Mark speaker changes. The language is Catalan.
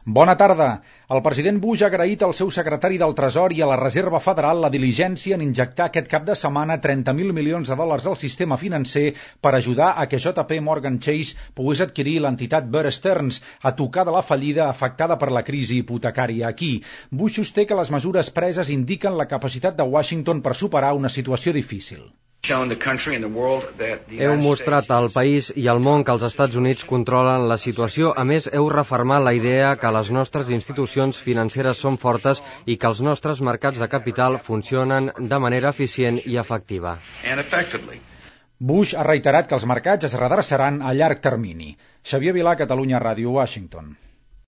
Speaker 1: Bona tarda. El president Bush ha agraït al seu secretari del Tresor i a la Reserva Federal la diligència en injectar aquest cap de setmana 30.000 milions de dòlars al sistema financer per ajudar a que JP Morgan Chase pogués adquirir l'entitat Bear Stearns a tocar de la fallida afectada per la crisi hipotecària aquí. Bush sosté que les mesures preses indiquen la capacitat de Washington per superar una situació difícil.
Speaker 2: Heu mostrat al país i al món que els Estats Units controlen la situació. A més, heu refermat la idea que les nostres institucions financeres són fortes i que els nostres mercats de capital funcionen de manera eficient i efectiva.
Speaker 1: Bush ha reiterat que els mercats es redreçaran a llarg termini. Xavier Vilà, Catalunya Ràdio, Washington.